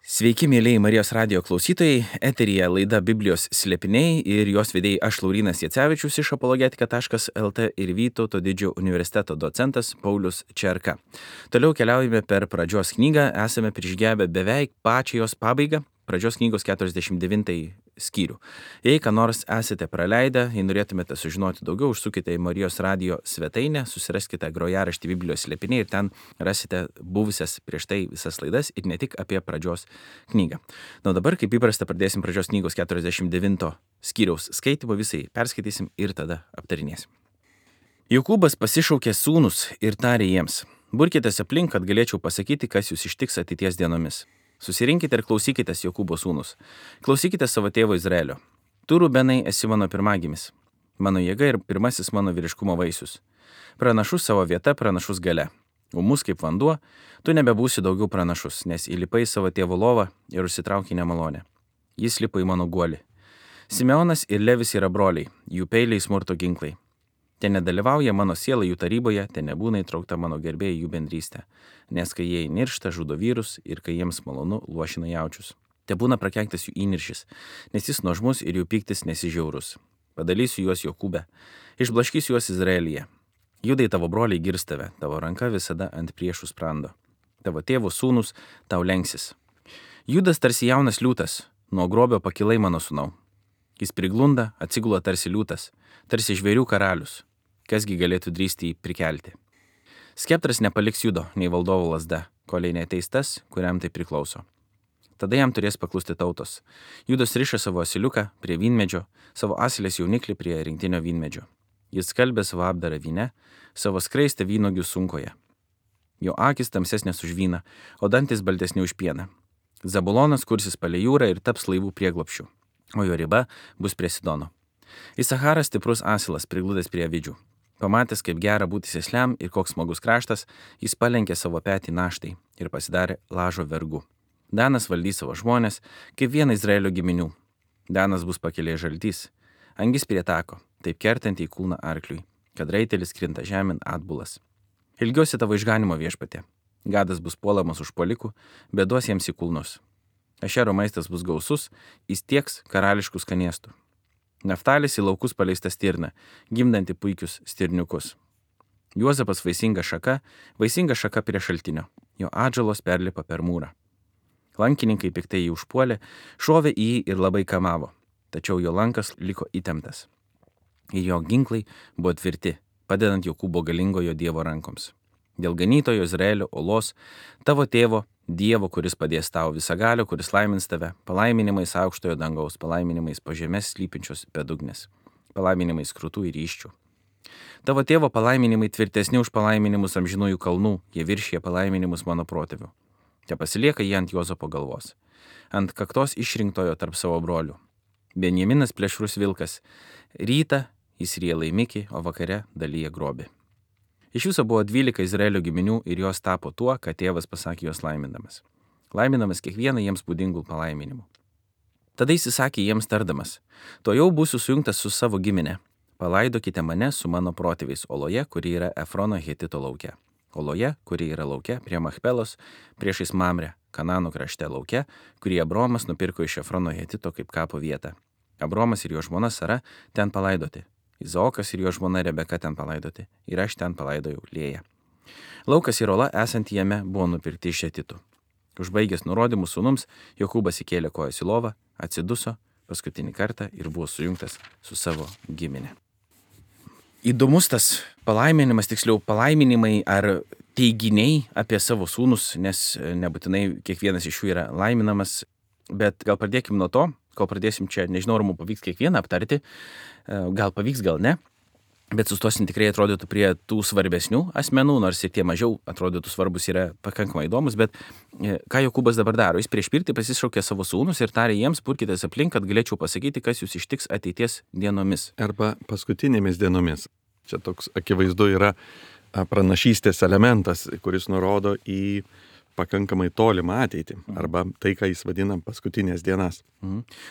Sveiki, mėlyjei Marijos radijo klausytojai, eteryje laida Biblijos slėpiniai ir jos vedėjai aš Laurynas Jacevičius iš apologetika.lt ir Vytauto didžiojo universiteto docentas Paulius Čerka. Toliau keliaujame per pradžios knygą, esame prižgebę beveik pačią jos pabaigą, pradžios knygos 49 skyrių. Jei ką nors esate praleidę, jei norėtumėte sužinoti daugiau, užsukite į Marijos radijo svetainę, susiraskite grojaraštį Biblijos slėpiniai ir ten rasite buvusias prieš tai visas laidas ir ne tik apie pradžios knygą. Na dabar, kaip įprasta, pradėsim pradžios knygos 49 skyriaus skaitymą, visai perskaitysim ir tada aptarinėsim. Jokūbas pasišaukė sūnus ir tarė jiems: burkitės aplink, kad galėčiau pasakyti, kas jūs ištiks ateities dienomis. Susirinkite ir klausykitės, Jokūbo sūnus. Klausykite savo tėvo Izraelio. Tu, Rubenai, esi mano pirmagimis, mano jėga ir pirmasis mano vyriškumo vaisius. Pranašus savo vieta, pranašus gale. Ūmus kaip vanduo, tu nebebūsi daugiau pranašus, nes įlipai savo tėvo lovą ir užsitraukė nemalonę. Jis lipo į mano guolį. Simeonas ir Levis yra broliai, jų peiliai smurto ginklai. Ten nedalyvauja mano siela jų taryboje, ten nebūna įtraukta mano gerbėjai jų bendrystė. Nes kai jie įniršta, žudo vyrus ir kai jiems malonu, luošina jaučius. Te būna prakeiktas jų įniršis, nes jis nuožmus ir jų pyktis nesižiaurus. Padalysiu juos Jokūbe, išblaškysiu juos Izraelyje. Judai tavo broliai girs tave, tavo ranka visada ant priešų sprando. Tavo tėvo sūnus tau lenksis. Judas tarsi jaunas liūtas, nuo grobio pakilai mano sūnau. Jis priglunda, atsigula tarsi liūtas, tarsi žvėrių karalius. Kasgi galėtų drįsti jį prikelti? Skeptras nepaliks Judo, nei valdovo lazda, kol neateis tas, kuriam tai priklauso. Tada jam turės paklusti tautos. Judas riša savo asiliuką prie vynmedžio, savo asilės jauniklį prie rinktinio vynmedžio. Jis skalbė savo apdarą vyne, savo skraistę vynuogių sunkoje. Jo akis tamsesnės už vyną, o dantis baltesni už pieną. Zabulonas kursis palei jūrą ir taps laivų prieglobsčiu, o jo riba bus prie Sidono. Isacharas stiprus asilas prigludęs prie avidžių. Pamatęs, kaip gera būti sėsliam ir koks smagus kraštas, jis palenkė savo petį naštai ir pasidarė lažo vergu. Danas valdys savo žmonės, kaip vieną Izraelio giminių. Danas bus pakelė žaltys, angis prie tako, taip kertant į kūną arkliui, kad raitelis krinta žemėn atbulas. Ilgiuosi tavo išganimo viešpatie. Gadas bus puolamas užpuolikų, bet duos jiems į kulnus. Ašero maistas bus gausus, jis tieks karališkų skanėstų. Naftalis į laukus paleista stirna, gimdanti puikius stirniukus. Juozapas vaisinga šaka prie šaltinio, jo atžalos perlipa per mūrą. Lankininkai piktai jį užpuolė, šovė į jį ir labai kamavo, tačiau jo lankas liko įtemptas. Ir jo ginklai buvo tvirti, padedant Jokūbo galingojo Dievo rankoms. Dėl ganytojo Izraelio olos, tavo tėvo, Dievo, kuris padės tau visagalio, kuris laimins tave, palaiminimais aukštojo dangaus, palaiminimais po žemės slypinčios bedugnės, palaiminimais krūtų ir ryščių. Tavo tėvo palaiminimai tvirtesni už palaiminimus amžinųjų kalnų, jie viršija palaiminimus mano protėvių. Te pasilieka jie ant Juozapo galvos, ant kaktos išrinktojo tarp savo brolių. Benjaminas plėšrus vilkas, rytą jis ryja laimikį, o vakare dalyja grobį. Iš viso buvo 12 Izraelio giminių ir jos tapo tuo, ką tėvas pasakė jos laiminamas. Laiminamas kiekvieną jiems būdingų palaiminimų. Tada jis įsakė jiems tardamas: tuojau būsiu sujungtas su savo giminė. Palaidokite mane su mano protėviais Oloje, kuri yra Efrono Hetito lauke. Oloje, kuri yra lauke prie Machpelos, priešais Mamrę, Kanano krašte lauke, kurį Abromas nupirko iš Efrono Hetito kaip kapo vietą. Abromas ir jo žmona Sara ten palaidoti. Izaokas ir jo žmona Rebeka ten palaidoti, ir aš ten palaidojau Lėją. Laukas ir ola esantį jame buvo nupirkti iš Hetitų. Užbaigęs nurodymus sūnums, Jokūbas įkėlė kojas į lovą, atsiduso paskutinį kartą ir buvo sujungtas su savo giminė. Įdomus tas palaiminimas, tiksliau palaiminimai ar teiginiai apie savo sūnus, nes nebūtinai kiekvienas iš jų yra laiminamas, bet gal pradėkim nuo to, kol pradėsim čia, nežinau, ar mums pavyks kiekvieną aptarti, gal pavyks, gal ne, bet sustosim tikrai atrodytų prie tų svarbesnių asmenų, nors ir tie mažiau atrodytų svarbus yra pakankamai įdomus, bet ką Jokūbas dabar daro? Jis prieš pirtį pasišaukė savo sūnus ir tarė jiems: burkitės aplink, kad galėčiau pasakyti, kas jūs ištiks ateities dienomis. Arba paskutinėmis dienomis. Čia toks akivaizdu yra pranašystės elementas, kuris nurodo į pakankamai tolimą ateitį, arba tai, ką jis vadina paskutinės dienas.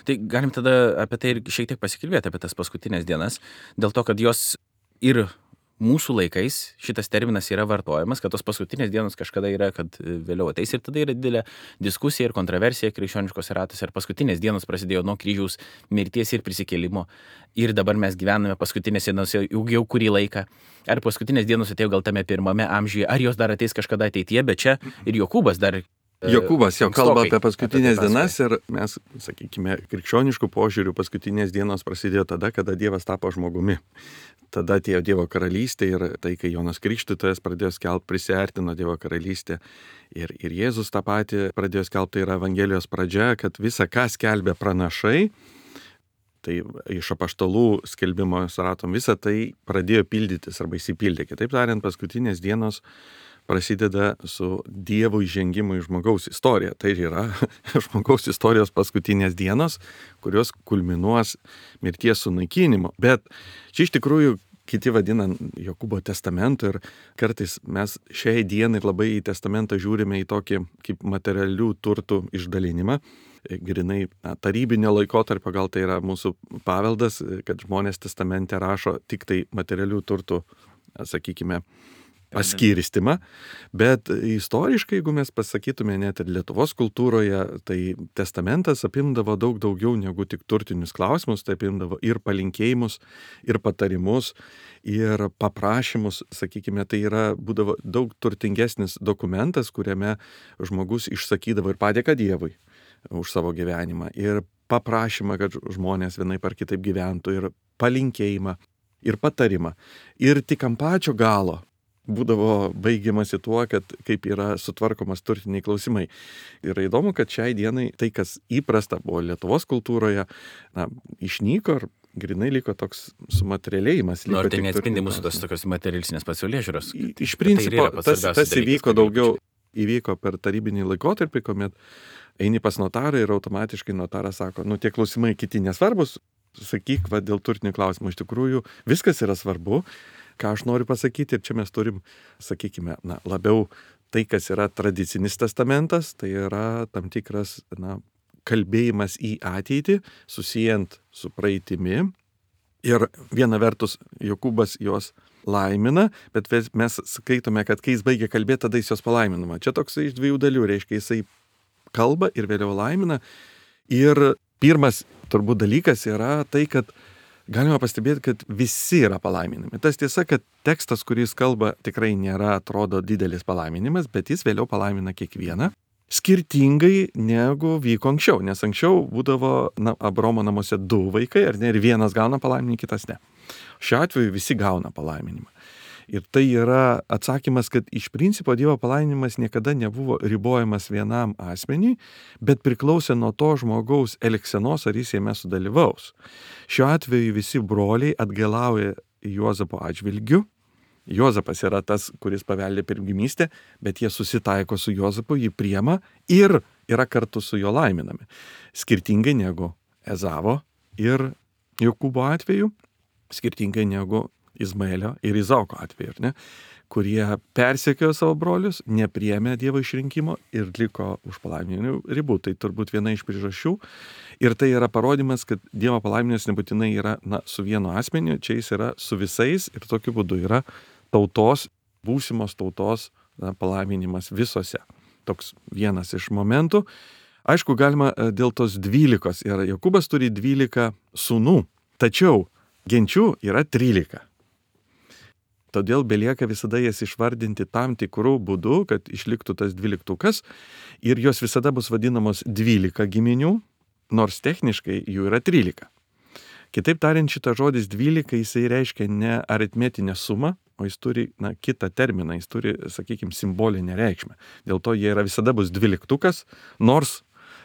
Tai galim tada apie tai ir šiek tiek pasikalbėti, apie tas paskutinės dienas, dėl to, kad jos ir mūsų laikais šitas terminas yra vartojamas, kad tos paskutinės dienos kažkada yra, kad vėliau ateis ir tada yra didelė diskusija ir kontroversija krikščioniškose ratuose. Ir paskutinės dienos prasidėjo nuo kryžiaus mirties ir prisikėlimo. Ir dabar mes gyvename paskutinės dienos jau kurį laiką. Ar paskutinės dienos atėjo gal tame pirmame amžiuje, ar jos dar ateis kažkada ateityje, bet čia ir Jokūbas dar... Jokūbas jau kalba apie paskutinės apie tai dienas ir mes, sakykime, krikščioniškų požiūrių paskutinės dienos prasidėjo tada, kada Dievas tapo žmogumi. Tada atėjo Dievo karalystė ir tai, kai Jonas Krikštytojas pradėjo skelbti, prisiartino Dievo karalystė. Ir Jėzus tą patį pradėjo skelbti, tai yra Evangelijos pradžia, kad visa, ką skelbė pranašai, tai iš apaštalų skelbimo suratom, visa tai pradėjo pildytis arba įsipildė. Kitaip tariant, paskutinės dienos prasideda su Dievo įžengimu į žmogaus istoriją. Tai yra žmogaus istorijos paskutinės dienos, kurios kulminuos mirties sunaikinimu. Bet čia iš tikrųjų kiti vadina Jokūbo testamentu ir kartais mes šiai dienai labai į testamentą žiūrime į tokį kaip materialių turtų išdalinimą. Grinai tarybinio laikotarpio, gal tai yra mūsų paveldas, kad žmonės testamente rašo tik tai materialių turtų, sakykime, paskirstimą, bet istoriškai, jeigu mes pasakytume net ir Lietuvos kultūroje, tai testamentas apimdavo daug daugiau negu tik turtinius klausimus, tai apimdavo ir palinkėjimus, ir patarimus, ir paprašymus, sakykime, tai būdavo daug turtingesnis dokumentas, kuriame žmogus išsakydavo ir padėką Dievui už savo gyvenimą, ir paprašymą, kad žmonės vienaip ar kitaip gyventų, ir palinkėjimą, ir patarimą. Ir tik ant pačio galo būdavo baigiamasi tuo, kad kaip yra sutvarkomas turtiniai klausimai. Yra įdomu, kad šiai dienai tai, kas įprasta buvo Lietuvos kultūroje, išnyko ir grinai liko toks sumaterialėjimas. Ar tai neatspindi mūsų tos tokios materialistinės pasaulėžiūros? Iš principo, tas įvyko daugiau, įvyko per tarybinį laikotarpį, kuomet eini pas notarą ir automatiškai notaras sako, tie klausimai kiti nesvarbus, sakyk, dėl turtinių klausimų. Iš tikrųjų, viskas yra svarbu. Ką aš noriu pasakyti, ir čia mes turim, sakykime, labiau tai, kas yra tradicinis testamentas, tai yra tam tikras, kalbėjimas į ateitį, susijęs su praeitimi. Ir viena vertus, Jokūbas jos laimina, bet mes skaitome, kad kai jis baigia kalbėti, tada jis jos palaiminama. Čia toks iš dviejų dalių, reiškia, jisai kalba ir vėliau laimina. Ir pirmas turbūt dalykas yra tai, kad galima pastebėti, kad visi yra palaiminami. Tas tiesa, kad tekstas, kuris kalba, tikrai nėra, atrodo, didelis palaiminimas, bet jis vėliau palaimina kiekvieną, skirtingai negu vyko anksčiau, nes anksčiau būdavo Abraomo namuose 2 vaikai, ar ne, ir vienas gauna palaiminimą, kitas ne. Šiuo atveju visi gauna palaiminimą. Ir tai yra atsakymas, kad iš principo Dievo palaiminimas niekada nebuvo ribojamas vienam asmeniui, bet priklausė nuo to žmogaus elgsenos, ar jis jame sudalyvaus. Šiuo atveju visi broliai atgailauja Juozapo atžvilgiu. Juozapas yra tas, kuris paveldė pirmgimystę, bet jie susitaiko su Juozapu, jį priema ir yra kartu su juo laiminami. Skirtingai negu Ezavo ir Jokūbo atveju, skirtingai negu Izmaelio ir Izaoko atveju, ne, kurie persekiojo savo brolius, nepriėmė Dievo išrinkimo ir liko už palaiminimų ribų. Tai turbūt viena iš priežasčių. Ir tai yra parodymas, kad Dievo palaiminimas nebūtinai yra su vienu asmeniu, čia jis yra su visais ir tokiu būdu yra tautos, būsimos tautos palaiminimas visose. Toks vienas iš momentų. Aišku, galima dėl tos 12, ir Jokūbas turi 12 sūnų, tačiau genčių yra 13. Todėl belieka visada jas išvardinti tam tikrų būdų, kad išliktų tas 12 ir jos visada bus vadinamos 12 giminių, nors techniškai jų yra 13. Kitaip tariant, šitas žodis 12 jisai reiškia ne aritmetinę sumą, o jis turi kitą terminą, jis turi, sakykime, simbolinę reikšmę. Dėl to jie visada bus 12, nors,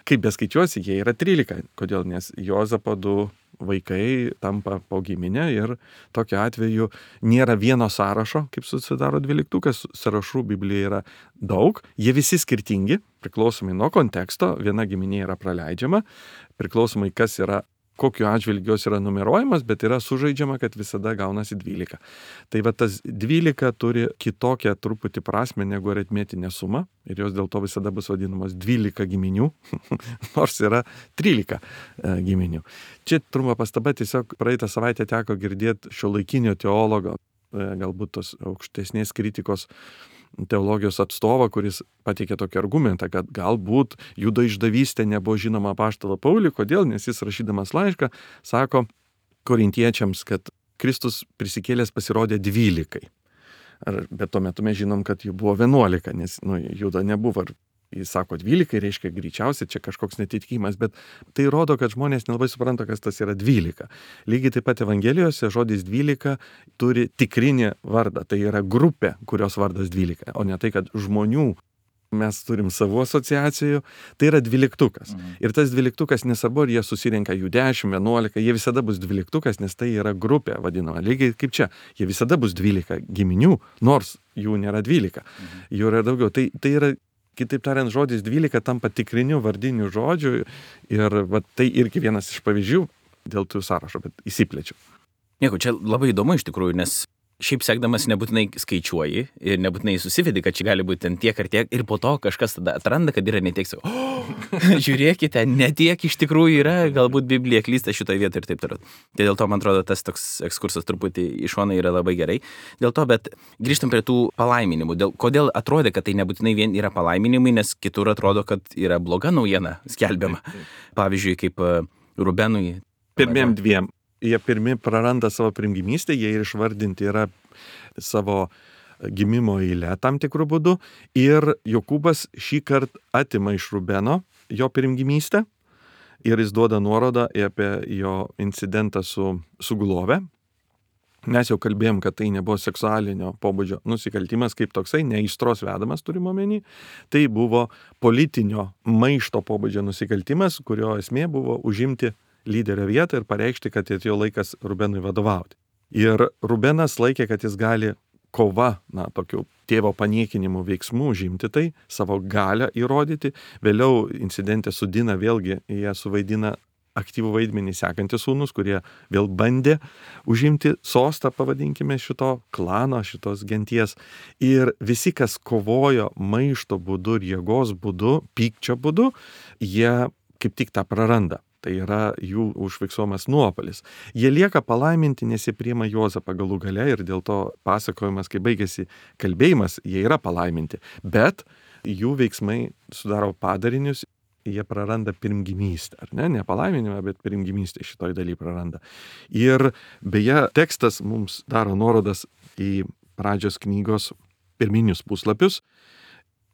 kaip beskaičiuosi, jie yra 13. Kodėl? Nes Juozapo 2 vaikai tampa po giminę ir tokiu atveju nėra vieno sąrašo, kaip susidaro 12, sąrašų Biblijoje yra daug, jie visi skirtingi, priklausomai nuo konteksto, viena giminė yra praleidžiama, priklausomai kas yra, kokiu atžvilgiu jos yra numeruojamas, bet yra sužaidžiama, kad visada gaunasi 12. Tai tas 12 turi kitokią truputį prasme negu aritmetinė suma ir jos dėl to visada bus vadinamos 12 giminių, nors yra 13 giminių. Čia trumpa pastaba, tiesiog praeitą savaitę teko girdėti šiuolaikinio teologo galbūt tos aukštesnės kritikos teologijos atstovą, kuris pateikė tokį argumentą, kad galbūt Judo išdavystė nebuvo žinoma apaštalo Pauliui. Kodėl? Nes jis rašydamas laišką sako korintiečiams, kad Kristus prisikėlęs pasirodė 12. Bet tuo metu mes žinom, kad jų buvo 11, nes Judo nebuvo. Jis sako 12, reiškia greičiausiai čia kažkoks netitikimas, bet tai rodo, kad žmonės nelabai supranta, kas tas yra 12. Lygiai taip pat Evangelijose žodis 12 turi tikrinį vardą, tai yra grupė, kurios vardas 12, o ne tai, kad žmonių mes turim savo asociacijų, tai yra 12. Ir tas 12 nesvarbu, ar jie susirenka jų 10, 11, jie visada bus 12, nes tai yra grupė vadinama. Lygiai kaip čia, jie visada bus 12 giminių, nors jų nėra 12, jų yra daugiau. Tai yra, kitaip tariant, žodis 12 tampa tikriniu vardiniu žodžiu ir tai irgi vienas iš pavyzdžių dėl tų sąrašo, bet įsiplečiu. Nieko, čia labai įdomu iš tikrųjų, nes šiaip sekdamas nebūtinai skaičiuoji ir nebūtinai susivedi, kad čia gali būti ten tiek ar tiek ir po to kažkas tada atranda, kad yra netiek, žiūrėkite, netiek iš tikrųjų yra, galbūt Biblija klysta šitoje vietoje ir taip toliau. Tai dėl to, man atrodo, tas toks ekskursas truputį iš šono yra labai gerai. Dėl to, bet grįžtam prie tų palaiminimų. Kodėl atrodė, kad tai nebūtinai vien yra palaiminimai, nes kitur atrodo, kad yra bloga naujiena skelbiama. Pavyzdžiui, kaip Rubenui. Pirmiem dviem. Jie pirmi praranda savo pirmgimystę, jie ir išvardinti yra savo gimimo eilę tam tikrų būdų. Ir Jokūbas šį kartą atima iš Rubeno jo pirmgimystę ir jis duoda nuorodą apie jo incidentą su Gulove. Mes jau kalbėjom, kad tai nebuvo seksualinio pobūdžio nusikaltimas kaip toksai, ne aistros vedamas turime omeny. Tai buvo politinio maišto pobūdžio nusikaltimas, kurio esmė buvo užimti lyderio vietą ir pareikšti, kad atėjo laikas Rubenui vadovauti. Ir Rubenas laikė, kad jis gali kova, tokių tėvo paniekinimų veiksmų užimti tai, savo galią įrodyti. Vėliau incidente su Dina vėlgi jie suvaidina aktyvų vaidmenį sekantys sūnus, kurie vėl bandė užimti sostą, pavadinkime, šito klano, šitos genties. Ir visi, kas kovojo maišto būdu ir jėgos būdu, pykčio būdu, jie kaip tik tą praranda. Tai yra jų užfiksuojamas nuopolis. Jie lieka palaiminti, nes jie priima Juozapą galų gale ir dėl to pasakojimas, kai baigėsi kalbėjimas, jie yra palaiminti. Bet jų veiksmai sudaro padarinius, jie praranda pirmgimystę, ar ne? Ne palaiminimą, bet pirmgimystę šitoj daly praranda. Ir beje, tekstas mums daro nuorodas į pradžios knygos pirminius puslapius,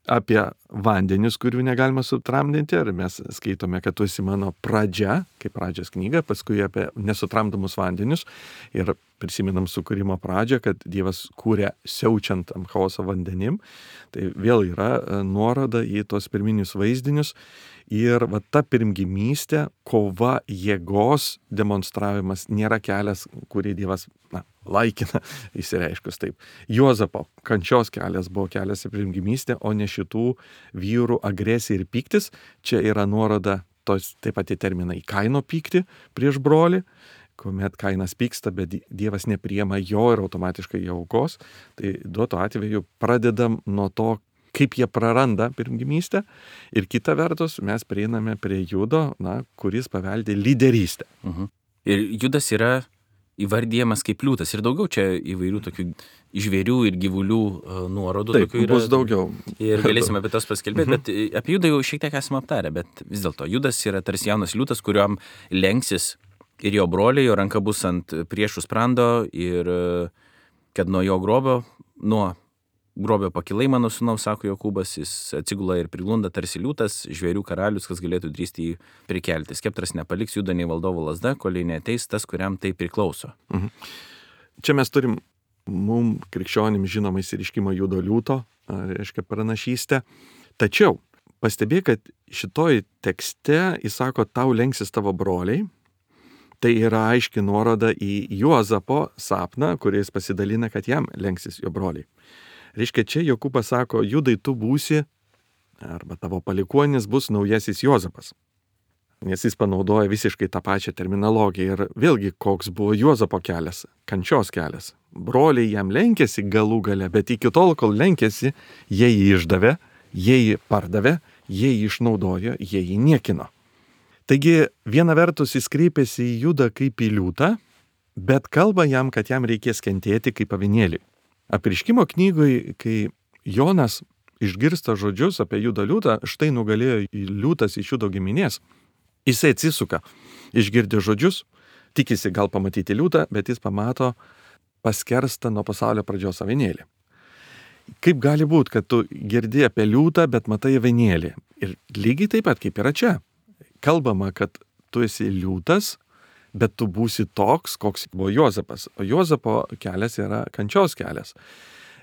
apie vandenius, kurių negalima sutramdinti, ar mes skaitome, kad tu esi mano pradžia, kaip pradžios knyga, paskui apie nesutramdomus vandenius ir prisimenam sukūrimo pradžią, kad Dievas kūrė siaučiant ant chaoso vandenim. Tai vėl yra nuoroda į tos pirminius vaizdinius ir ta pirmgimystė, kova, jėgos demonstravimas nėra kelias, kurį Dievas laikina, įsireiškus taip. Juozapo kančios kelias buvo kelias į pirmgimystę, o ne šitų vyrų agresija ir pyktis. Čia yra nuoroda taip pat į terminą į Kaino pyktį prieš brolį, kuomet Kainas pyksta, bet Dievas nepriima jo ir automatiškai jo aukos. Tai duoto atveju pradedam nuo to, kaip jie praranda pirmgimystę ir kita vertus mes prieiname prie Judo, kuris paveldė lyderystę. Ir Judas yra įvardyjamas kaip liūtas ir daugiau čia įvairių tokių žvėrių ir gyvulių nuorodų. Taip, bus daugiau. Ir galėsime apie tos paskelbėti, bet apie Judą jau šiek tiek esame aptarę, bet vis dėlto Judas yra tarsi jaunas liūtas, kuriuom lenksis ir jo broliai, jo ranka bus ant priešų sprando ir kad nuo grobio pakilai mano sūnaus, sako Jokūbas, jis atsigula ir priglunda tarsi liūtas, žvėrių karalius, kas galėtų drįsti jį prikelti. Skeptras nepaliks Judo nei valdovo lazda, kol neateis tas, kuriam tai priklauso. Čia mes turim mum krikščionim žinomą išsireiškimą Judo liūto, reiškia pranašystę. Tačiau pastebėk, kad šitoj tekste jis sako, tau lenksis tavo broliai. Tai yra aiški nuoroda į Juozapo sapną, kuris pasidalina, kad jam lenksis jo broliai. Reiškia, čia Jokūbas sako, Judai tu būsi, arba tavo palikuonis bus naujasis Juozapas. Nes jis panaudoja visiškai tą pačią terminologiją. Ir vėlgi, koks buvo Juozapo kelias, kančios kelias. Broliai jam lenkėsi galų gale, bet iki tol, kol lenkėsi, jie jį išdavė, jie jį pardavė, jie jį išnaudojo, jie jį niekino. Taigi, viena vertus jis kreipėsi į Judą kaip į liūtą, bet kalba jam, kad jam reikės kentėti kaip avinėliui. Apreiškimo knygoje, kai Jonas išgirsta žodžius apie Judą liūtą, štai nugalėjo liūtas iš Judo giminės, jisai atsisuka, išgirdė žodžius, tikisi gal pamatyti liūtą, bet jis pamato paskerstą nuo pasaulio pradžios avinėlį. Kaip gali būti, kad tu girdi apie liūtą, bet matai avinėlį? Ir lygiai taip pat kaip yra čia. Kalbama, kad tu esi liūtas, bet tu būsi toks, koks buvo Juozapas. O Juozapo kelias yra kančios kelias.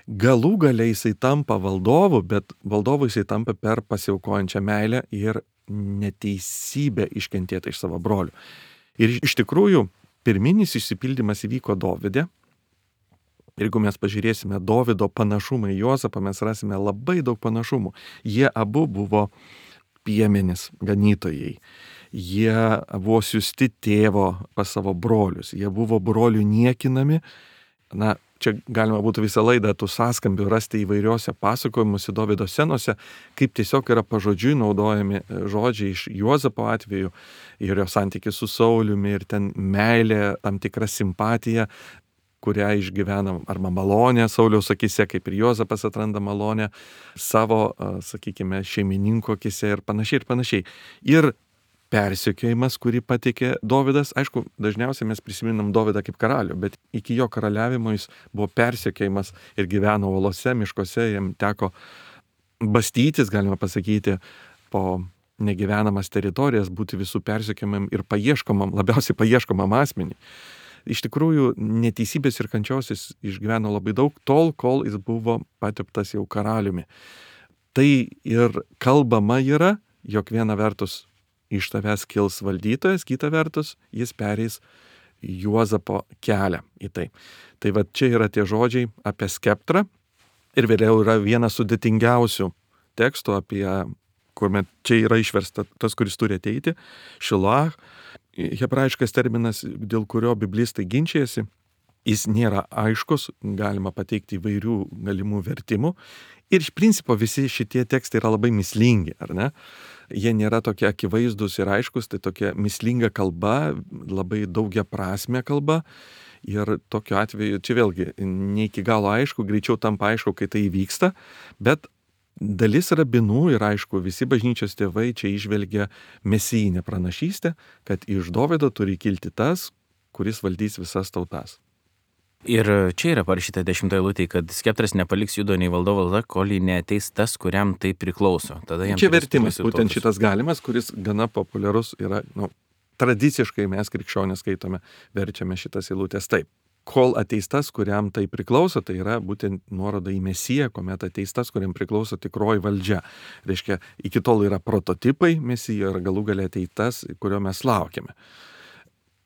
Galų galiai jisai tampa valdovu, bet valdovu jisai tampa per pasiaukojančią meilę ir neteisybę iškentėtą iš savo brolių. Ir iš tikrųjų, pirminis išsipildymas įvyko Dovide. Jeigu mes pažiūrėsime Dovido panašumą į Juozapą, mes rasime labai daug panašumų. Jie abu buvo piemenys, ganytojai. Jie buvo siųsti tėvo pas savo brolius. Jie buvo brolių niekinami. Na, čia galima būtų visą laidą tų sąskambių rasti įvairiuose pasakojimuose Dovido scenose, kaip tiesiog yra pažodžiui naudojami žodžiai iš Juozapo atveju ir jo santykis su Sauliumi ir ten meilė, tam tikra simpatija, kurią išgyvena arba malonė Sauliaus akise, kaip ir Juozapas atranda malonę savo, sakykime, šeimininko akise ir panašiai ir panašiai. Ir persekiojimas, kurį pateikė Dovidas, aišku, dažniausiai mes prisiminam Dovidą kaip karalių, bet iki jo karaliavimo jis buvo persekiojimas ir gyveno olose, miškuose, jam teko bastytis, galima pasakyti, po negyvenamas teritorijas, būti visų persekiojimam ir labiausiai paieškomam asmenį. Iš tikrųjų, neteisybės ir kančios jis išgyveno labai daug, tol, kol jis buvo pateptas jau karaliumi. Tai ir kalbama yra, jog viena vertus iš tavęs kils valdytojas, kita vertus jis pereis Juozapo kelią į tai. Tai va čia yra tie žodžiai apie skeptrą ir vėliau yra vienas sudėtingiausių tekstų apie, kuomet čia yra išversta tas, kuris turi ateiti, Šiloach. Hebrajiškas terminas, dėl kurio biblistai ginčijasi, jis nėra aiškus, galima pateikti įvairių galimų vertimų. Ir iš principo visi šitie tekstai yra labai mįslingi, ar ne? Jie nėra tokie akivaizdus ir aiškus, tai tokia mįslinga kalba, labai daugiaprasmė kalba. Ir tokiu atveju, čia vėlgi, ne iki galo aišku, greičiau tampa aišku, kai tai įvyksta, bet dalis rabinų ir aišku, visi bažnyčios tėvai čia išvelgia mesijinę pranašystę, kad iš Dovido turi kilti tas, kuris valdys visas tautas. Ir čia yra parašyta 10 eilutėje, kad skeptras nepaliks Judo nei valdovo valda, kol neateis tas, kuriam tai priklauso. Tada jam čia vertimas, būtent šitas galimas, kuris gana populiarus yra, tradiciškai mes krikščionys skaitome, verčiame šitas eilutės taip. Kol ateis tas, kuriam tai priklauso, tai yra būtent nuoroda į Mesiją, kuomet ateis tas, kuriam priklauso tikroji valdžia. Reiškia, iki tol yra prototipai Mesijo ir galų gale ateis tas, kurio mes laukiame.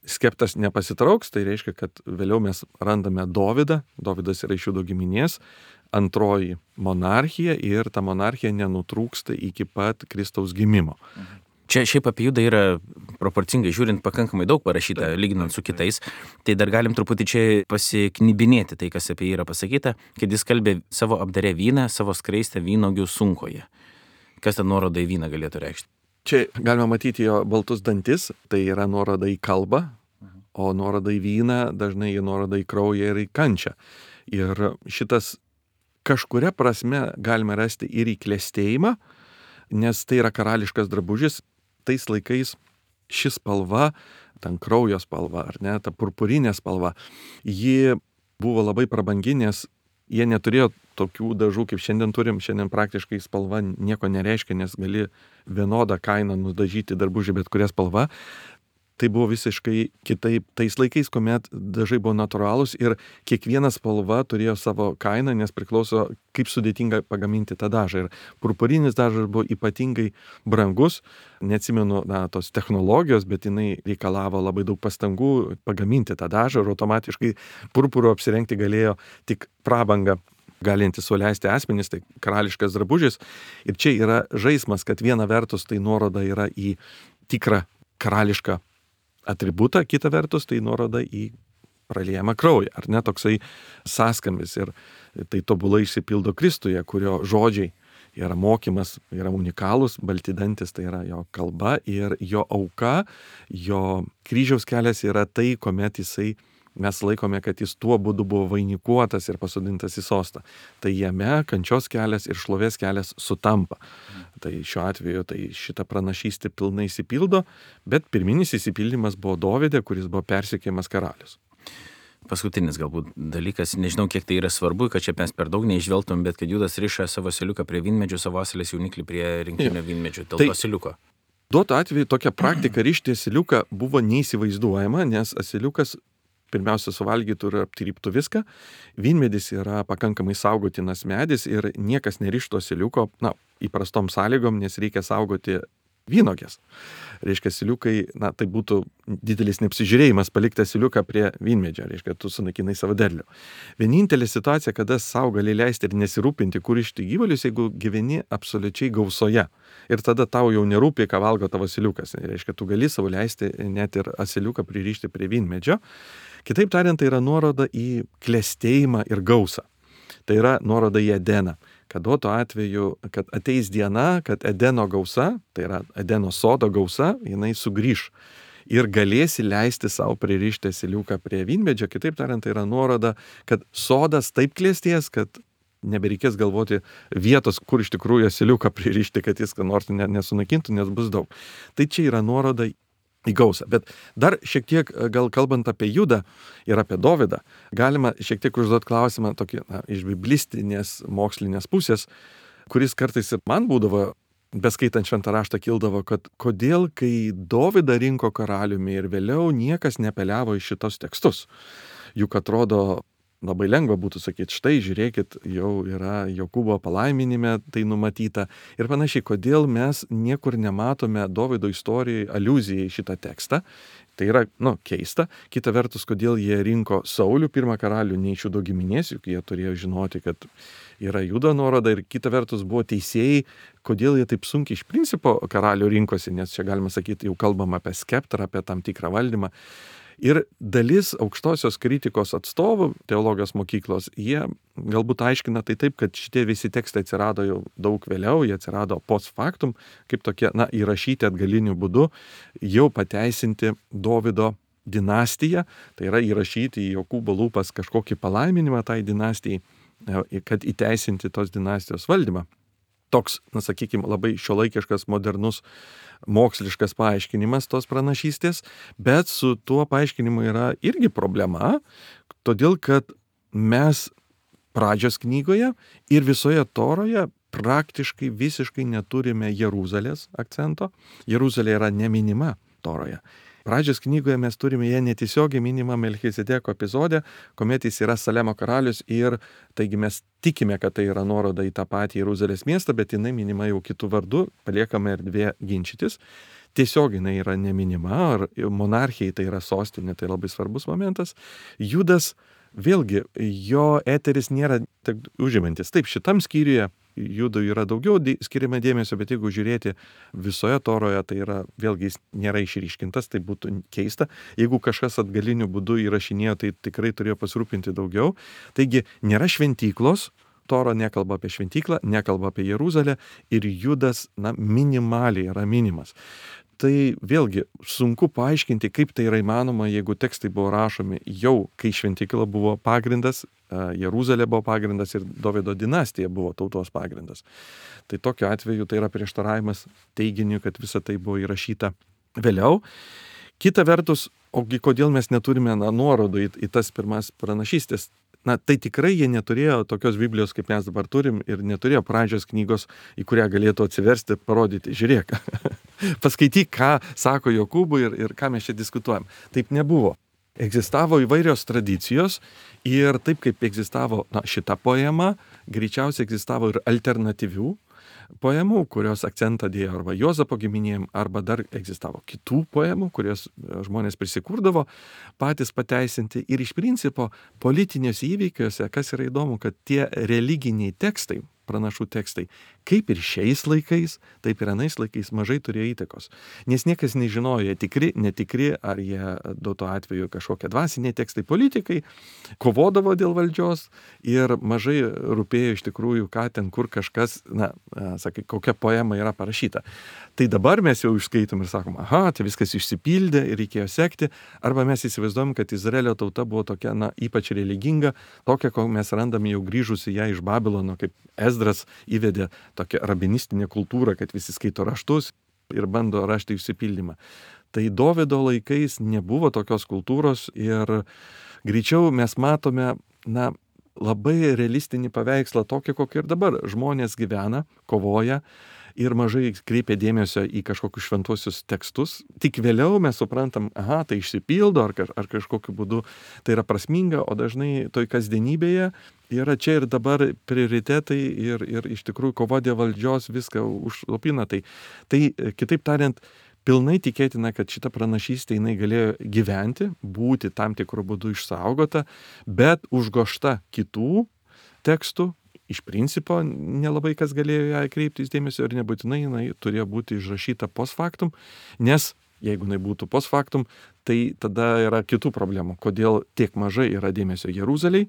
Skeptas nepasitrauks, tai reiškia, kad vėliau mes randame Dovidą, Dovidas yra iš Judo giminės, antroji monarchija ir ta monarchija nenutrūksta iki pat Kristaus gimimo. Čia šiaip apie Judą yra proporcingai žiūrint pakankamai daug parašyta, lyginant su kitais. Tai dar galim truputį čia pasiknibinėti tai, kas apie jį yra pasakyta, kad jis kalbė savo apdarę vyną, savo skraistę vynogių sunkoje. Kas ta nuoroda į vyną galėtų reikšti? Čia galima matyti jo baltus dantis, tai yra nuoroda į kalbą, o nuoroda į vyną dažnai į nuoroda į kraują ir į kančią. Ir šitas kažkuria prasme galime rasti ir į klestėjimą, nes tai yra karališkas drabužis. Tais laikais ši spalva, ten kraujo spalva, ar ne, ta purpurinė spalva, ji buvo labai prabangi, nes jie neturėjo tokių dažų, kaip šiandien turim. Šiandien praktiškai spalva nieko nereiškia, nes gali vienodą kainą nudažyti drabužį bet kuria spalva. Tai buvo visiškai kitaip tais laikais, kuomet dažai buvo natūralūs ir kiekviena spalva turėjo savo kainą, nes priklauso, kaip sudėtinga pagaminti tą dažą. Ir purpurinis dažas buvo ypatingai brangus, neatsimenu tos technologijos, bet jinai reikalavo labai daug pastangų pagaminti tą dažą ir automatiškai purpuru apsirengti galėjo tik prabangą galinti suleisti asmenys, tai karališkas drabužis. Ir čia yra žaismas, kad viena vertus tai nuoroda yra į tikrą karališką atributą, kita vertus tai nuoroda į praliejamą kraują, ar ne, toksai sąskambis. Ir tai tobulai išsipildo Kristuje, kurio žodžiai yra mokymas, yra unikalūs, balti dantis tai yra jo kalba ir jo auka, jo kryžiaus kelias yra tai, kuomet jisai mes laikome, kad jis tuo būdu buvo vainikuotas ir pasodintas į sostą. Tai jame kančios kelias ir šlovės kelias sutampa. Tai šiuo atveju tai šitą pranašystę pilnai įsipildo, bet pirminis įsipildymas buvo Dovide, kuris buvo persekiojamas karalius. Paskutinis galbūt dalykas, nežinau, kiek tai yra svarbu, kad čia mes per daug neižvelgtum, bet kad Judas riša savo asiliuką prie vynmedžių, savo asilės jauniklį prie rinkinio vynmedžių, dėl to asiliuko. Duotu atveju tokia praktika rišti asiliuką buvo neįsivaizduojama, nes asiliukas pirmiausia suvalgytų ir aptryptų viską. Vynmedis yra pakankamai saugotinas medis ir niekas nerištų asiliuko, įprastom sąlygom, nes reikia saugoti vynogės. Reiškia, asiliukai, tai būtų didelis neapsižiūrėjimas palikti asiliuką prie vynmedžio, reiškia, tu sunaikinai savo derlių. Vienintelė situacija, kada sau gali leisti ir nesirūpinti, kur išti gyvulius, jeigu gyveni absoliučiai gausoje. Ir tada tau jau nerūpi, ką valgo tavo asiliukas. Reiškia, tu gali savo leisti net ir asiliuką pririšti prie vynmedžio. Kitaip tariant, tai yra nuoroda į klestėjimą ir gausą. Tai yra nuoroda į Edeną. Kad duotu atveju, kad ateis diena, kad Edeno gausa, tai yra Edeno sodo gausa, jinai sugrįš ir galėsi leisti savo pririšti asiliuką prie vynmedžio. Kitaip tariant, tai yra nuoroda, kad sodas taip klestės, kad nebereikės galvoti vietos, kur iš tikrųjų asiliuką pririšti, kad jis ką nors nesunaikintų, nes bus daug. Tai čia yra nuoroda į gausą. Bet dar šiek tiek, gal kalbant apie Judą ir apie Dovydą, galima šiek tiek užduoti klausimą tokį iš biblistinės mokslinės pusės, kuris kartais ir man būdavo, beskaitant šventą raštą, kildavo, kad kodėl, kai Dovydą rinko karaliumi ir vėliau niekas nepeliavo į šitos tekstus. Juk atrodo, labai lengva būtų sakyti, štai žiūrėkit, jau yra Jokūbo palaiminime tai numatyta ir panašiai, kodėl mes niekur nematome Dovydo istorijai aliuzijai į šitą tekstą. Tai yra, keista. Kita vertus, kodėl jie rinko Saulių, pirmą karalių, ne iš Judo giminės, juk jie turėjo žinoti, kad yra Judo nuoroda, ir kita vertus buvo teisėjai, kodėl jie taip sunkiai iš principo karalių rinkosi, nes čia galima sakyti, jau kalbam apie skeptrą, apie tam tikrą valdymą. Ir dalis aukštosios kritikos atstovų teologijos mokyklos, jie galbūt aiškina tai taip, kad šitie visi tekstai atsirado jau daug vėliau, jie atsirado post factum, kaip tokie, įrašyti atgaliniu būdu, jau pateisinti Dovydo dinastiją, tai yra įrašyti į Jokūbo lūpas kažkokį palaiminimą tai dinastijai, kad įteisinti tos dinastijos valdymą. Toks, sakykime, labai šiuolaikiškas, modernus, moksliškas paaiškinimas tos pranašystės, bet su tuo paaiškinimu yra irgi problema, todėl kad mes pradžios knygoje ir visoje Toroje praktiškai visiškai neturime Jeruzalės akcento. Jeruzalė yra neminima Toroje. Pradžios knygoje mes turime ją netiesiogiai minimą Melchizedeko epizode, kuomet jis yra Salemo karalius ir taigi mes tikime, kad tai yra nuoroda į tą patį Jeruzalės miestą, bet jinai minima jau kitų vardų, paliekame erdvė ginčytis. Tiesiog jinai yra neminima, ar monarchijai tai yra sostinė, tai labai svarbus momentas. Judas, vėlgi, jo eteris nėra tik užimantis. Taip, šitam skyriuje Judui yra daugiau skiriama dėmesio, bet jeigu žiūrėti visoje Toroje, tai yra, vėlgi, jis nėra išryškintas, tai būtų keista. Jeigu kažkas atgaliniu būdu įrašinėjo, tai tikrai turėjo pasirūpinti daugiau. Taigi, nėra šventyklos, Toro nekalba apie šventyklą, nekalba apie Jeruzalę ir Judas, minimaliai yra minimas. Tai vėlgi sunku paaiškinti, kaip tai yra įmanoma, jeigu tekstai buvo rašomi jau, kai šventykla buvo pagrindas, Jeruzalė buvo pagrindas ir Dovydo dinastija buvo tautos pagrindas. Tai tokiu atveju tai yra prieštaravimas teiginiu, kad visa tai buvo įrašyta vėliau. Kita vertus, ogi kodėl mes neturime nuorodų į tas pirmas pranašystės? Tai tikrai jie neturėjo tokios Biblijos, kaip mes dabar turim, ir neturėjo pradžios knygos, į kurią galėtų atsiversti, parodyti, žiūrėk, paskaityk, ką sako Jokūbui ir ką mes čia diskutuojam. Taip nebuvo. Egzistavo įvairios tradicijos ir taip kaip egzistavo šita poema, greičiausiai egzistavo ir alternatyvių poemų, kurios akcentą dėjo arba Juozapo giminėm, arba dar egzistavo kitų poemų, kurios žmonės prisikurdavo patys pateisinti. Ir iš principo politiniuose įvykiuose, kas yra įdomu, kad tie religiniai tekstai, pranašų tekstai, kaip ir šiais laikais, taip ir anais laikais mažai turėjo įtakos. Nes niekas nežinojo, jie tikri, netikri, ar jie duoto atveju kažkokie dvasiniai tekstai. Politikai kovodavo dėl valdžios ir mažai rūpėjo iš tikrųjų, ką ten, kur kažkas, sakai, kokia poema yra parašyta. Tai dabar mes jau išskaitom ir sakom, aha, tai viskas išsipildė ir reikėjo sekti, arba mes įsivaizduojam, kad Izraelio tauta buvo tokia, ypač religinga, tokia, ko mes randame jau grįžusi ją iš Babilono, kaip Ezdras įvedė tokią rabinistinę kultūrą, kad visi skaito raštus ir bando rašti išsipildymą. Tai Dovydo laikais nebuvo tokios kultūros ir greičiau mes matome, labai realistinį paveikslą tokį, kokį ir dabar. Žmonės gyvena, kovoja ir mažai kreipia dėmesio į kažkokius šventuosius tekstus. Tik vėliau mes suprantam, aha, tai išsipildo ar kažkokiu būdu tai yra prasminga, o dažnai toj kasdienybėje yra čia ir dabar prioritetai ir iš tikrųjų kova dėl valdžios viską užlopina. Tai kitaip tariant, pilnai tikėtina, kad šita pranašystė jinai galėjo gyventi, būti tam tikrų būdų išsaugota, bet užgošta kitų tekstų. Iš principo nelabai kas galėjo ją kreiptis dėmesio ir nebūtinai jinai turėjo būti išrašyta post factum, nes jeigu jinai būtų post factum, tai tada yra kitų problemų. Kodėl tiek mažai yra dėmesio Jeruzalei,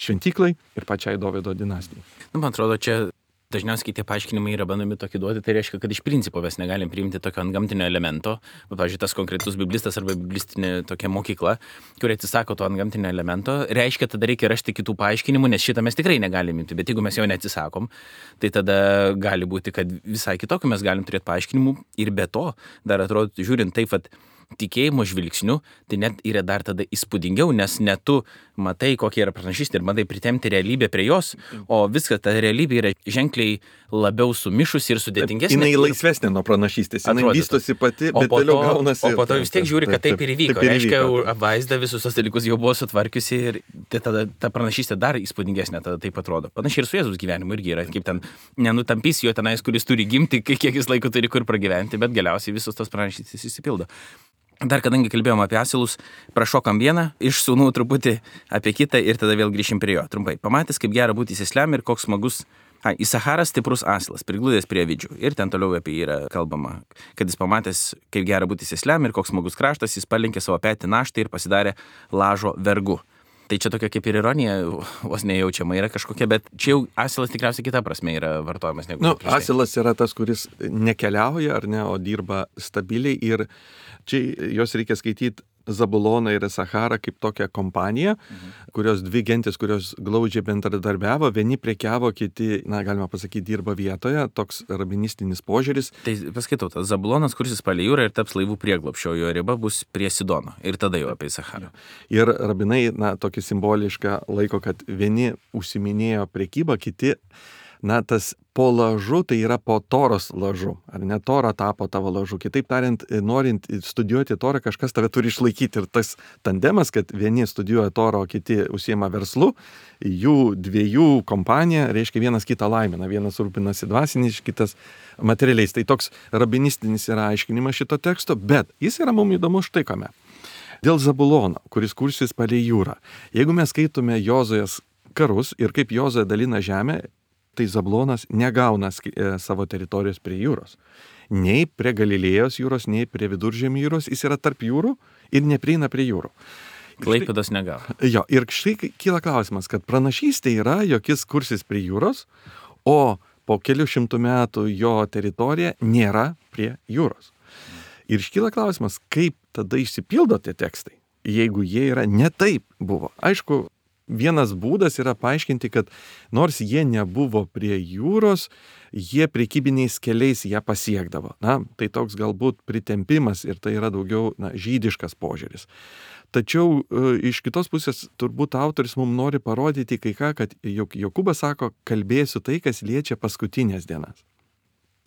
šventyklai ir pačiai Dovydo dinastijai. Man atrodo, čia dažniausiai tie paaiškinimai yra bandomi tokį duoti, tai reiškia, kad iš principo mes negalim priimti tokio antgamtinio elemento, pavyzdžiui, tas konkretus biblistas arba biblistinė tokia mokykla, kuri atsisako to antgamtinio elemento, reiškia, tada reikia rasti kitų paaiškinimų, nes šitą mes tikrai negalim imti, bet jeigu mes jo neatsisakom, tai tada gali būti, kad visai kitokių mes galim turėti paaiškinimų ir be to, dar atrodo, žiūrint taip, kad tikėjimo žvilgsniu, tai net yra dar tada įspūdingiau, nes ne tu matai, kokia yra pranašystė ir matai pritemti realybę prie jos, o viskas, ta realybė yra ženkliai labiau sumišusi ir sudėtingesnė. Jinai laisvesnė nuo pranašystės, jinai vystosi pati, bet toliau gaunasi. O po to vis tiek žiūri, kad taip ir įvyko. Reiškia, apvaizda visus tos dalykus jau buvo sutvarkiusi ir tada ta pranašystė dar įspūdingesnė, tada taip atrodo. Panašiai ir su Jėzaus gyvenimu irgi yra, kaip ten nenutampys jo tenais, kuris turi gimti, kiek jis laiko turi kur pragyventi, bet galiausiai visus tos pranašystės įsipildo. Dar kadangi kalbėjom apie asilus, prašokam vieną, iš sūnų truputį apie kitą ir tada vėl grįšim prie jo. Trumpai, pamatęs, kaip gera būti sėsliam ir koks smagus, Isacharas stiprus asilas, prigludęs prie avidžių. Ir ten toliau apie jį yra kalbama, kad jis pamatęs, kaip gera būti sėsliam ir koks smagus kraštas, jis palinkė savo petį naštą ir pasidarė lažo vergu. Tai čia tokia kaip ir ironija, vos nejaučiama yra kažkokia, bet čia jau asilas tikriausiai kita prasme yra vartojamas negu. Asilas yra tas, kuris nekeliauja ar ne, o dirba stabiliai ir čia jos reikia skaityti Zabuloną ir Isacharą kaip tokią kompaniją, kurios dvi gentis, kurios glaudžiai bendradarbiavo, vieni prekiavo, kiti, galima pasakyti, dirba vietoje, toks rabinistinis požiūris. Tai paskaitau, tas Zabulonas kursis palei jūrą ir taps laivų prieglobsčio, jo riba bus prie Sidono ir tada jau apie Isacharą. Ir rabinai, tokį simbolišką laiko, kad vieni užsiminėjo prekybą, kiti, tas po lažu, tai yra po Toros lažu, ar ne, Tora tapo tavo lažu. Kitaip tariant, norint studijuoti Torą, kažkas tave turi išlaikyti ir tas tandemas, kad vieni studijuoja Torą, o kiti užsiema verslu, jų dviejų kompanija, reiškia vienas kitą laimina, vienas rūpinasi dvasiniais, kitas materialiais. Tai toks rabinistinis yra aiškinimas šito teksto, bet jis yra mums įdomus štai kame. Dėl Zabulono, kuris kursis palei jūrą. Jeigu mes skaitome Jozuės karus ir kaip Jozuė dalina žemę, tai Zabulonas negauna savo teritorijos prie jūros. Nei prie Galilėjos jūros, nei prie Viduržemio jūros, jis yra tarp jūrų ir neprieina prie jūrų. Klaipėdos negavo. Jo, ir štai kyla klausimas, kad pranašystė yra, jog jis kursis prie jūros, o po kelių šimtų metų jo teritorija nėra prie jūros. Ir iškyla klausimas, kaip tada išsipildo tie tekstai, jeigu jie yra ne taip buvo. Aišku, vienas būdas yra paaiškinti, kad nors jie nebuvo prie jūros, jie prekybiniais keliais ją pasiekdavo. Tai toks galbūt pritempimas ir tai yra daugiau žydiškas požiūris. Tačiau iš kitos pusės turbūt autoris mums nori parodyti kai ką, kad Jokūbas sako, kalbėsiu tai, kas liečia paskutinės dienas.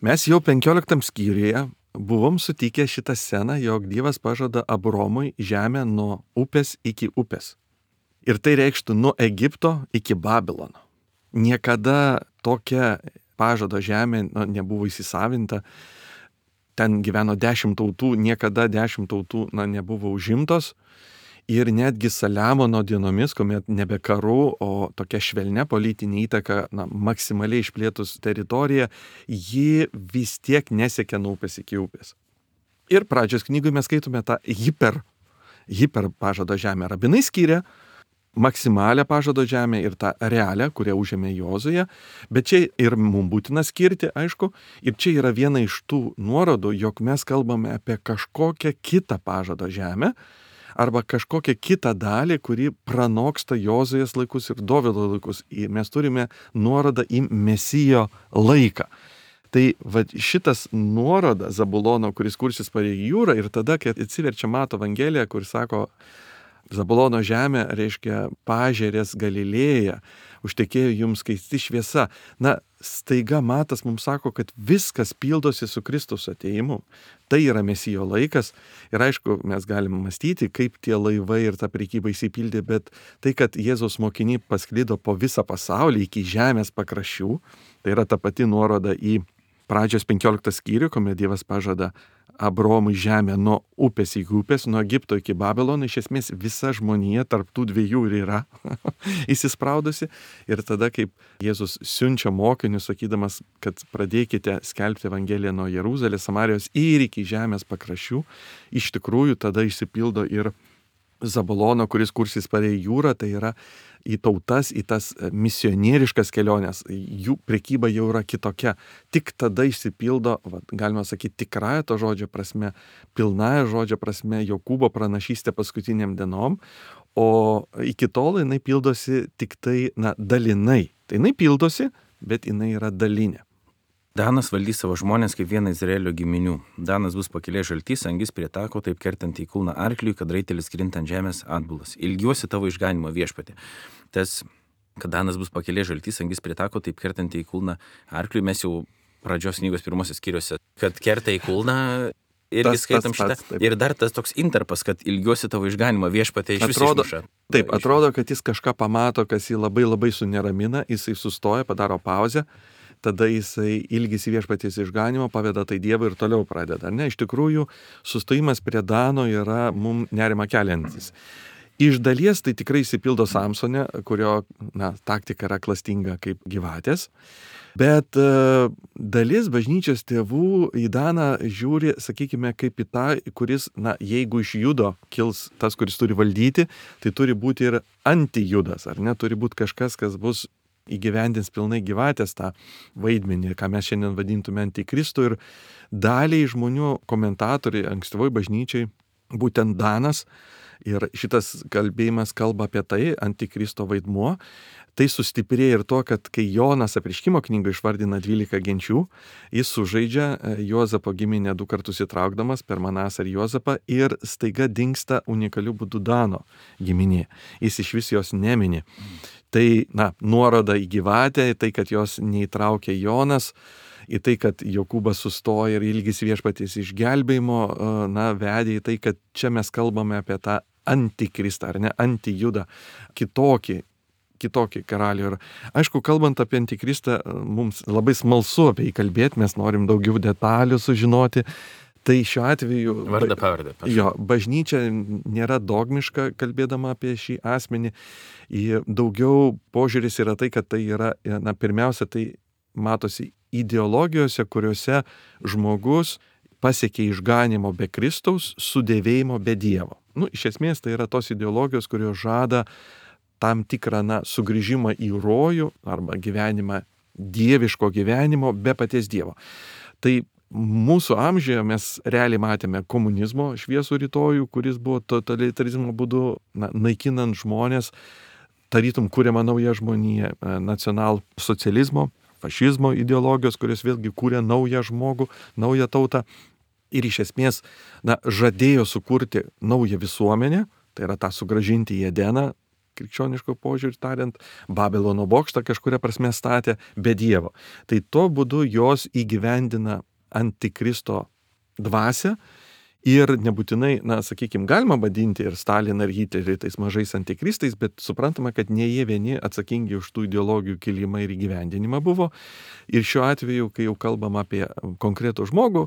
Mes jau 15 skyriuje buvom sutikę šitą sceną, jog Dievas pažada Abromui žemę nuo upės iki upės. Ir tai reikštų nuo Egipto iki Babilono. Niekada tokia pažado žemė nebuvo įsisavinta. Ten gyveno 10 tautų, niekada 10 tautų nebuvo užimtos. Ir netgi Saliamono dienomis, kuomet nebe karu, o tokia švelnia politinė įtaka, maksimaliai išplėtus teritoriją, ji vis tiek nesiekia nuo upės iki upės. Ir pradžios knygoje mes skaitome tą hiper pažado žemę. Rabinai skiria maksimalią pažado žemę ir tą realią, kurią užėmė Jozuė, bet čia ir mums būtina skirti, aišku, ir čia yra viena iš tų nuorodų, jog mes kalbame apie kažkokią kitą pažado žemę, arba kažkokią kitą dalį, kuri pranoksta Jozuės laikus ir Dovydo laikus. Mes turime nuorodą į Mesijo laiką. Tai šitas nuoroda Zabulono, kuris kursis palei jūrą, ir tada, kai atsiverčia Mato Evangelija, kur sako, Zabulono žemė reiškia pažerės Galilėja, užtekėjo jums skaisti šviesa. Staiga Matas mums sako, kad viskas pildosi su Kristaus atėjimu. Tai yra Mesijo laikas. Ir aišku, mes galime mąstyti, kaip tie laivai ir ta prekyba įsipildė, bet tai, kad Jėzaus mokiniai pasklido po visą pasaulį iki žemės pakraščių, tai yra ta pati nuoroda į pradžios 15 skyrių, kuomet Dievas pažada Abromui žemę nuo upės iki upės, nuo Egipto iki Babilono. Iš esmės visa žmonija tarp tų dviejų ir yra įsispraudusi. Ir tada, kaip Jėzus siunčia mokinius, sakydamas, kad pradėkite skelbti Evangeliją nuo Jeruzalės, Samarijos ir iki žemės pakraščių, iš tikrųjų tada išsipildo ir Zabulono, kuris kursis palei jūrą, tai yra į tautas, į tas misionieriškas keliones. Jų prekyba jau yra kitokia. Tik tada išsipildo, galima sakyti, tikrąją to žodžio prasme, pilnąją žodžio prasme, Jokūbo pranašystė paskutiniam dienom, o iki tol jinai pildosi tik tai, dalinai. Tai jinai pildosi, bet jinai yra dalinė. Danas valdys savo žmonės kaip vieną Izraelio giminių. Danas bus pakilė žaltys, angis prie tako, taip kertant į kulną arkliui, kad raitelis krinta ant žemės atbulas. Ilgiuosi tavo išganimo viešpatį. Tas, kad Danas bus pakilė žaltys, angis prie tako, taip kertant į kulną arkliui, mes jau pradžios knygos pirmosios skyriuose, kad kerta į kulną, irgi skaitom šitą. Ir dar tas toks interpas, kad ilgiuosi tavo išganimo viešpatį iš viso išmuša. Taip, atrodo, kad jis kažką pamato, kas jį labai labai suneramina, jisai sustoja, padaro pauzę. Tada jisai ilgisi viešpaties išganimo, paveda tai Dievui ir toliau pradeda. Ne, iš tikrųjų, sustojimas prie Dano yra mums nerima keliantis. Iš dalies tai tikrai įsipildo Samsone, kurio taktika yra klastinga kaip gyvatės. Bet dalis bažnyčios tėvų į Daną žiūri, sakykime, kaip į tą, kuris, jeigu iš judo kils tas, kuris turi valdyti, tai turi būti ir antijudas, ar ne? Turi būti kažkas, kas bus įgyvendins pilnai gyvatės tą vaidmenį, ką mes šiandien vadintume antikristų, ir daliai žmonių komentatoriai ankstyvoj bažnyčiai būtent Danas, ir šitas kalbėjimas kalba apie tai, antikristo vaidmuo. Tai sustiprėja ir to, kad kai Jonas Apreiškimo knygą išvardina 12 genčių, jis sužaidžia Juozapo giminę 2 kartus įtraukdamas per Manasą ir Juozapą, ir staiga dingsta unikaliu būdu Dano giminė. Jis iš vis jos nemini. Tai, nuoroda į gyvatę, į tai, kad jos neįtraukė Jonas, į tai, kad Jokūbas sustoja ir ilgisi viešpaties išgelbėjimo, vedė į tai, kad čia mes kalbame apie tą antikristą, ar ne, antijudą, kitokį karalių. Ir aišku, kalbant apie antikristą, mums labai smalsu apie jį kalbėti, mes norim daugiau detalių sužinoti. Tai šiuo atveju vardą pavardę. Jo, bažnyčia nėra dogmiška kalbėdama apie šį asmenį. Daugiau požiūris yra tai, kad tai yra, pirmiausia, tai matosi ideologijose, kuriuose žmogus pasiekė išganimo be Kristaus, sudėvėjimo be Dievo. Iš esmės tai yra tos ideologijos, kurios žada tam tikrą sugrįžimą į rojų arba gyvenimą, dieviško gyvenimo be paties Dievo. Tai mūsų amžiuje mes realiai matėme komunizmo šviesų rytojų, kuris buvo totalitarizmo būdu naikinant žmonės, tarytum kuriama nauja žmonija, nacionalsocializmo, fašizmo ideologijos, kurios vėlgi kūrė naują žmogų, naują tautą, ir iš esmės žadėjo sukurti naują visuomenę, tai yra tą sugrąžinti į Edeną, krikščioniško požiūrį tariant, Babilono bokštą kažkuria prasme statė be Dievo. Tai tuo būdu jos įgyvendina antikristo dvasią, ir nebūtinai, sakykime, galima vadinti ir Staliną ir Hitlerį tais mažais antikristais, bet suprantama, kad ne jie vieni atsakingi už tų ideologijų kilimą ir įgyvendinimą buvo. Ir šiuo atveju, kai jau kalbam apie konkretų žmogų,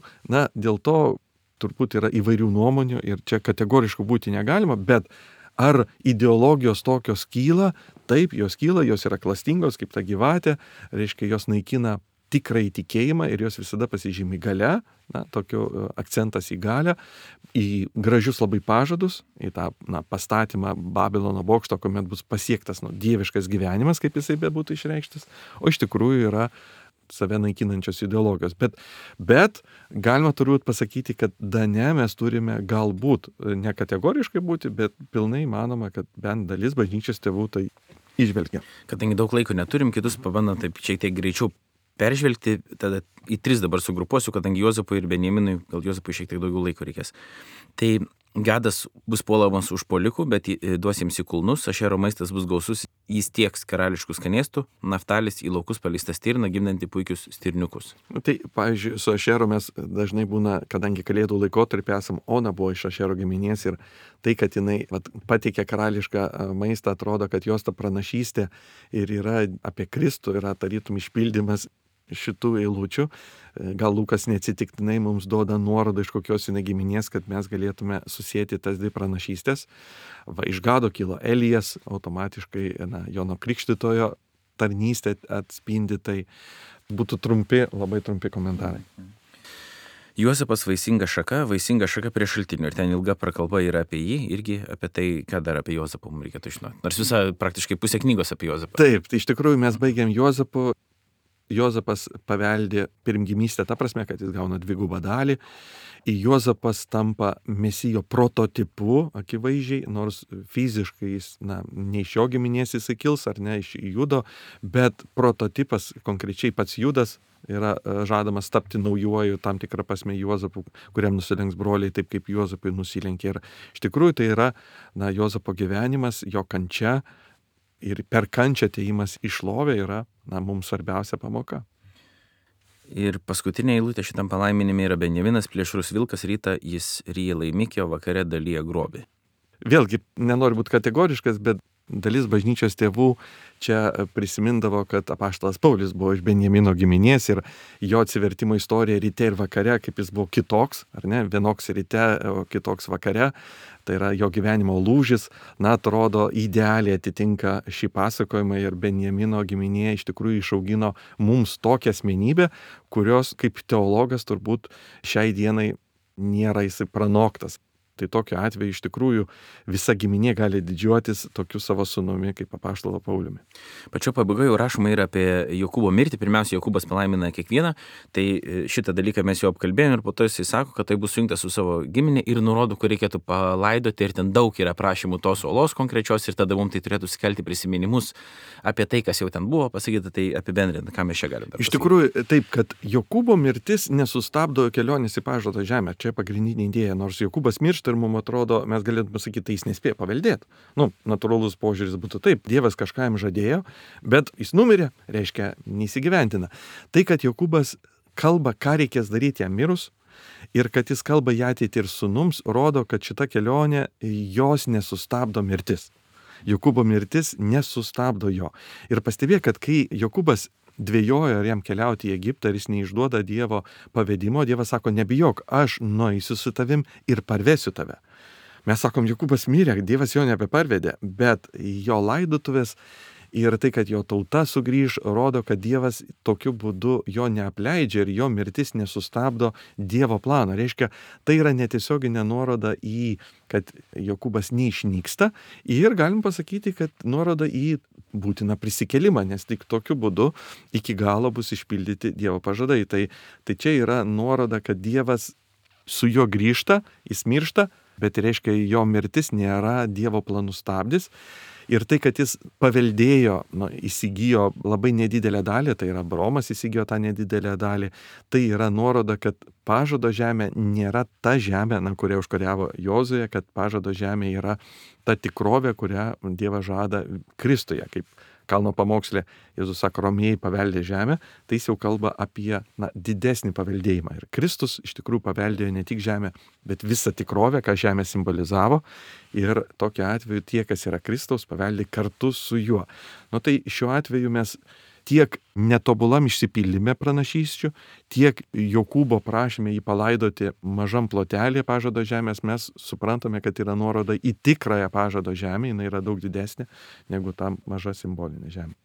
dėl to turbūt yra įvairių nuomonių ir čia kategoriškų būti negalima, bet Ar ideologijos tokios kyla? Taip, jos kyla, jos yra klastingos kaip ta gyvatė, reiškia, jos naikina tikrąjį tikėjimą ir jos visada pasižymi galia, tokiu akcentas į galią, į gražius labai pažadus, į tą pastatymą Babilono bokšto, kuomet bus pasiektas dieviškas gyvenimas, kaip jisai bebūtų išreikštas, o iš tikrųjų yra save naikinančios ideologijos. Bet galima turbūt pasakyti, kad Dane mes turime galbūt ne kategoriškai būti, bet pilnai manoma, kad bent dalis bažnyčios tėvų tai įžvelgia. Kadangi daug laiko neturim, kitus pabandom taip šiek tiek greičiau peržvelgti, tada į 3 dabar sugrupuosiu, kadangi Juozapui ir Benjaminui, gal Juozapui šiek tiek daugiau laiko reikės. Tai Gadas bus puolamas užpuolikų, bet duos jiems į kulnus, Ašero maistas bus gausus, jis tieks karališkų skanėstų, Naftalis į laukus paleista stirna, gimdanti puikius stirniukus. Tai, pavyzdžiui, su Ašero mes dažnai būna, kadangi kalėdų laikotarpį esam, Ona buvo iš Ašero giminės ir tai, kad jinai pateikė karališką maistą, atrodo, kad jos ta pranašystė ir yra apie Kristų, yra tarytum išpildymas šitų eilučių. Gal Lukas neatsitiktinai mums duoda nuorodą iš kokios giminės, kad mes galėtume susėti tas 2 pranašystės. Iš Gado kilo Elijas, automatiškai Jono Krikštytojo tarnystė atspindi, tai būtų labai trumpi komentarai. Juozapas vaisinga šaka prie šaltinių ir ten ilga prakalba yra apie jį, irgi apie tai, ką dar apie Juozapą mums reikėtų žinoti. Nors visa praktiškai pusė knygos apie Juozapą. Taip, tai iš tikrųjų mes baigiam Juozapu. Juozapas paveldė pirmgimystę, ta prasme, kad jis gauna 2 dalį. Juozapas tampa Mesijo prototipu, akivaizdžiai, nors fiziškai jis, ne iš jo giminės jis kils, ar ne iš Judo, bet prototipas, konkrečiai pats Judas, yra žadamas tapti naujuoju tam tikrą prasme Juozapu, kuriam nusilenks broliai, taip kaip Juozapui nusilenkė. Ir iš tikrųjų tai yra Juozapo gyvenimas, jo kančia. Ir per kančią atėjimas į šlovę yra, mums svarbiausia pamoka. Ir paskutinė eilutė šitam palaiminime yra Benjaminas plėšrus vilkas, rytą jis ryja laimikį, o vakare dalyja grobį. Vėlgi, nenoriu būti kategoriškas, bet dalis bažnyčios tėvų čia prisimindavo, kad apaštalas Paulius buvo iš Benjamino giminės ir jo atsivertimo istorija ryte ir vakare, kaip jis buvo kitoks, ar ne, vienoks ryte, o kitoks vakare, tai yra jo gyvenimo lūžis, atrodo idealiai atitinka šį pasakojimą ir Benjamino giminė iš tikrųjų išaugino mums tokią asmenybę, kurios kaip teologas turbūt šiai dienai nėra jisai pranoktas. Tai tokiu atveju iš tikrųjų visa giminė gali didžiuotis tokiu savo sūnumi kaip apaštalo Pauliumi. Pačio pabaigoje jau rašoma ir apie Jokūbo mirtį. Pirmiausia, Jokūbas palaimina kiekvieną, tai šitą dalyką mes jau apkalbėjome ir po to jisai sako, kad tai bus sujungtas su savo giminė ir nurodo, kur reikėtų palaidoti ir ten daug yra prašymų tos olos konkrečios ir tada mums tai turėtų sukelti prisiminimus apie tai, kas jau ten buvo pasakyta, tai apibendrinti, ką mes čia galime dar pasakyti. Iš tikrųjų taip, kad Jokūbo mirtis nesustabdo kelionės į pažadą žemę. Čia pagrindinė idėja, nors Jokūbas miršta ir mums atrodo, mes galėtume pasakyti, tai jis nespėjo paveldėti. Natūralus požiūris būtų taip, Dievas kažką jam žadėjo, bet jis numirė, reiškia, neįsigyventina. Tai, kad Jokūbas kalba, ką reikės daryti jam mirus, ir kad jis kalba į ateitį ir sūnums, rodo, kad šita kelionė jos nesustabdo mirtis. Jokūbo mirtis nesustabdo jo. Ir pastebėk, kad kai Jokūbas dvejojo, ar jam keliauti į Egiptą, ir jis neišduoda Dievo pavedimo, Dievas sako, nebijok, aš nueisiu su tavim ir parvesiu tave. Mes sakom, Jokūbas mirė, Dievas jo nebeparvedė, bet jo laidotuvės ir tai, kad jo tauta sugrįž, rodo, kad Dievas tokiu būdu jo neapleidžia ir jo mirtis nesustabdo Dievo plano. Reiškia, tai yra netiesioginė nuoroda į, kad Jokūbas neišnyksta ir galim pasakyti, kad nuoroda į būtiną prisikėlimą, nes tik tokiu būdu iki galo bus išpildyti Dievo pažadai. Tai čia yra nuoroda, kad Dievas su juo grįžta, jis miršta, bet reiškia, jo mirtis nėra Dievo planų stabdis. Ir tai, kad jis paveldėjo, įsigijo labai nedidelę dalį, tai yra Abraomas įsigijo tą nedidelę dalį, tai yra nuoroda, kad pažado žemė nėra ta žemė, kurią užkariavo Jozuė, kad pažado žemė yra ta tikrovė, kurią Dievas žada Kristuje, kaip kalno pamoksle Jėzus sako, romėjai paveldė žemę, tai jis jau kalba apie didesnį paveldėjimą. Ir Kristus iš tikrųjų paveldėjo ne tik žemę, bet visą tikrovę, ką žemė simbolizavo. Ir tokiu atveju tie, kas yra Kristaus, paveldi kartu su juo. Tai šiuo atveju mes tiek netobulam išsipildyme pranašysčių, tiek Jokūbo prašymė jį palaidoti mažam plotelį pažado žemės, mes suprantame, kad yra nuoroda į tikrąją pažado žemę, jinai yra daug didesnė negu ta maža simbolinė žemė.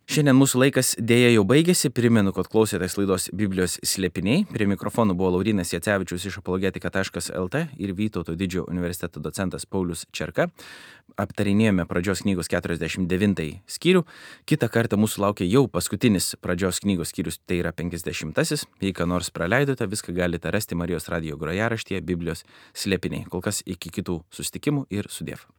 Šiandien mūsų laikas dėja jau baigėsi. Primenu, kad klausėtės laidos Biblijos slėpiniai. Prie mikrofonų buvo Laurynas Jacevičius iš apologetika.lt ir Vytauto didžiojo universiteto docentas Paulius Čerka. Aptarinėjome pradžios knygos 49 skyrių. Kitą kartą mūsų laukia jau paskutinis pradžios knygos skyrius, tai yra 50. Jei ką nors praleidote, viską galite rasti Marijos radijo grojaraštyje Biblijos slėpiniai. Kol kas iki kitų susitikimų ir sudiev.